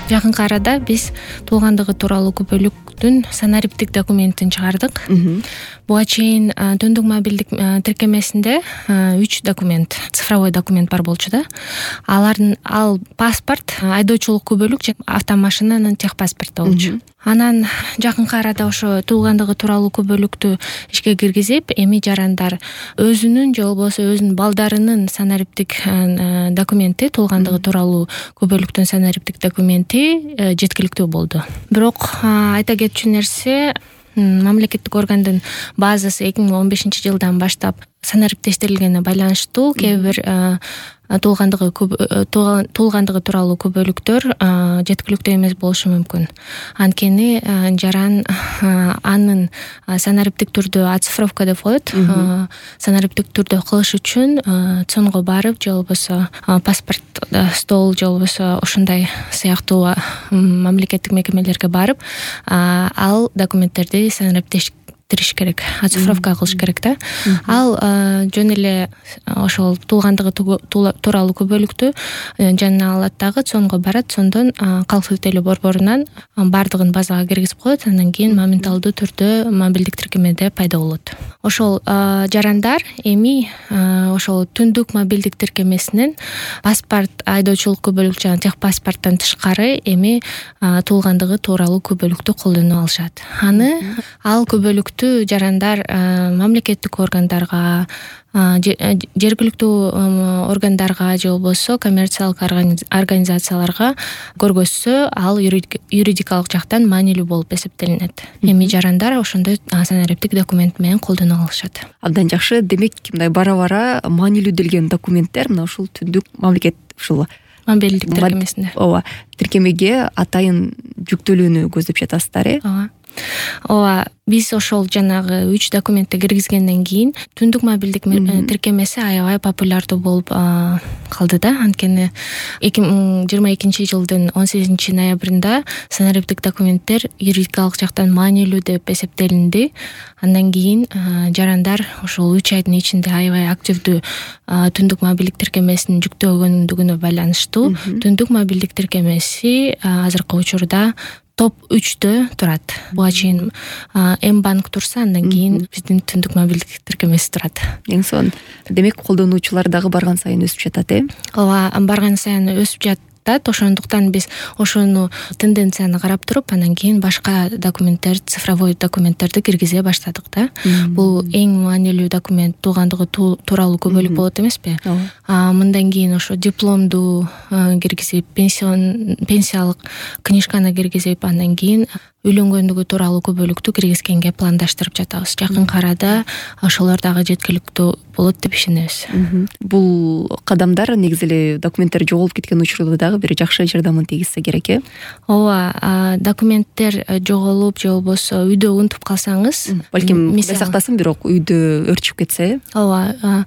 Жакынкы арада биз туулгандыгы тууралуу күбөлүктүн санариптик документин чыгардык. Буга чейин түндүк мобилдик тиркемесинде 3 документ, цифровой документ бар болчу да. Ал паспорт, айдоочулук күбөлүк же автомашинанын техпаспорту болчу. Анан жакынкы арада ошо туулгандыгы тууралуу күбөлүктү ишке киргизип, эми жарандар өзүнүн же болбосо өзүнүн балдарынын санариптик документи, туулгандыгы тууралуу күбөлүктүн санариптик документи жеткиликтүү болду. Бирок айта кетчү нерсе, мамлекеттик органдын базасы 2015-жылдан баштап санариптештирилгенине байланыштуу кээ бир туулгандыгы тууралуу күбөлүктөр жеткиликтүү эмес болушу мүмкүн. Анткени жаран анын санариптик түрдө оцифровка деп коет. Санариптик түрдө кылыш үчүн цонго барып же болбосо паспорт стол же болбосо ошондой сыяктуу мамлекеттик мекемелерге барып ал документтерди санариптештириш керек, оцифровка кылыш керек да. Ал жөн эле ошол туулгандыгы тууралуу күбөлүктү жанына алат дагы, цонго барат, цондон калк тилтелөө борборунан баардыгын базага киргизип коет, андан кийин моменталдуу түрдө мобилдик тиркемеде пайда болот. Ошол жарандар эми ошол түндүк мобилдик тиркемесинен паспорт, айдоочулук күбөлүк жана техпаспорттон тышкары эми туулгандыгы тууралуу күбөлүктү колдоно алышат. Ал күбөлүктү жарандар мамлекеттик органдарга, жергиликтүү органдарга же болбосо коммерциялык организацияларга көргөзсө, ал юридикалык жактан маанилүү болуп эсептелинет. Эми жарандар ошондой санариптик документ менен колдоно алышат. Абдан жакшы. Демек, мындай бара-бара маанилүү делген документтер мына ушул түндүк мамлекет ушул мобилдик тиркемесинде. Ооба, тиркемеге атайын жүктөлүүнү көздөп жатасыздар, Ооба, биз ошол жанагы 3 документти киргизгенден кийин түндүк мобилдик тиркемеси аябай популярдуу болуп калды да. Анткени 2022-жылдын 18-ноябрында санариптик документтер юридикалык жактан маанилүү деп эсептелинди. Андан кийин жарандар ошол 3 айдын ичинде аябай активдүү түндүк мобилдик тиркемесин жүктөгөндүгүнө байланыштуу түндүк мобилдик тиркемеси азыркы учурда топ 3-тө турат. Буга чейин М-банк турса, андан кийин биздин түндүк мобилдик тиркемеси турат. Эң сонун. Демек, колдонуучулар дагы барган сайын өсүп жатат, Ооба, барган сайын өсүп жатат. Ошондуктан биз ошону тенденцияны карап туруп, андан кийин башка документтер, цифровой документтерди киргизе баштадык да. Бул эң маанилүү документ туулгандыгы тууралуу күбөлүк болот эмеспи? Мындан кийин ошо дипломду киргизип, пенсиялык книжканы киргизип, андан кийин үйлөнгөндүгү тууралуу күбөлүктү киргизгенге пландаштырып жатабыз. Жакынкы арада ошолор дагы жеткиликтүү болот деп ишенебиз. Бул кадамдар негизи эле документтер жоголуп кеткен учурда дагы бир жакшы жардамын тийгизсе керек, Ооба, документтер жоголуп же болбосо үйдө унутуп калсаңыз, балким Кудай сактасын, бирок үйдө өрчүп кетсе, Ооба,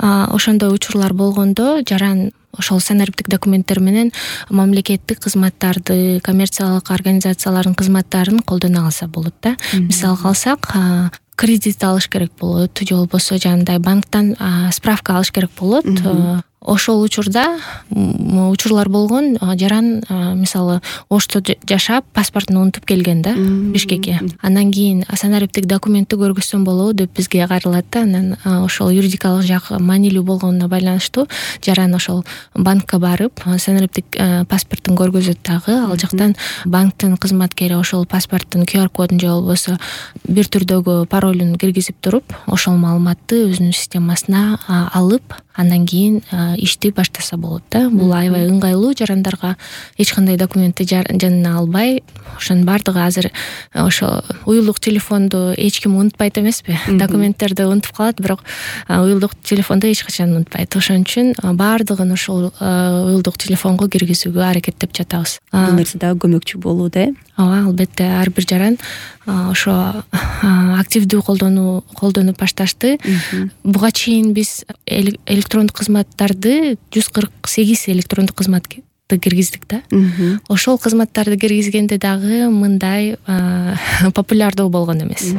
ошондой учурлар болгондо жаран ошол санариптик документтер менен мамлекеттик кызматтарды, коммерциялык организациялардын кызматтарын колдоно алса болот да. Мисалга алсак, кредит алыш керек болот, же болбосо жанагындай банктан справка алыш керек болот. Ошол учурлар болгон. Жаран мисалы Ошто жашап паспортун унутуп келген да Бишкекке. Андан кийин санариптик документти көргөзсөм болобу деп бизге кайрылат да. Анан ошол юридикалык жак маанилүү болгонуна байланыштуу жаран ошол банкка барып санариптик паспортун көргөзөт дагы. Ал жактан банктын кызматкери ошол паспорттун QR кодун же болбосо бир түрдөгү паролун киргизип туруп, ошол маалыматты өзүнүн системасына алып, андан кийин ишти баштаса болот да. Бул аябай ыңгайлуу, жарандарга эч кандай документти жанына албай, ошонун баардыгы азыр ошо уюлдук телефонду эч ким унутпайт эмеспи? Документтерди унутуп калат, бирок уюлдук телефонду эч качан унутпайт. Ошон үчүн баардыгын ошол уюлдук телефонго киргизүүгө аракеттеп жатабыз. Бул нерсе дагы көмөкчү болууда, Ооба, албетте, ар бир жаран ошо активдүү колдонуп башташты. Буга чейин биз электрондук кызматтарды 148 электрондук кызматты киргиздик да. Ошол кызматтарды киргизгенде дагы мындай популярдуу болгон эмес.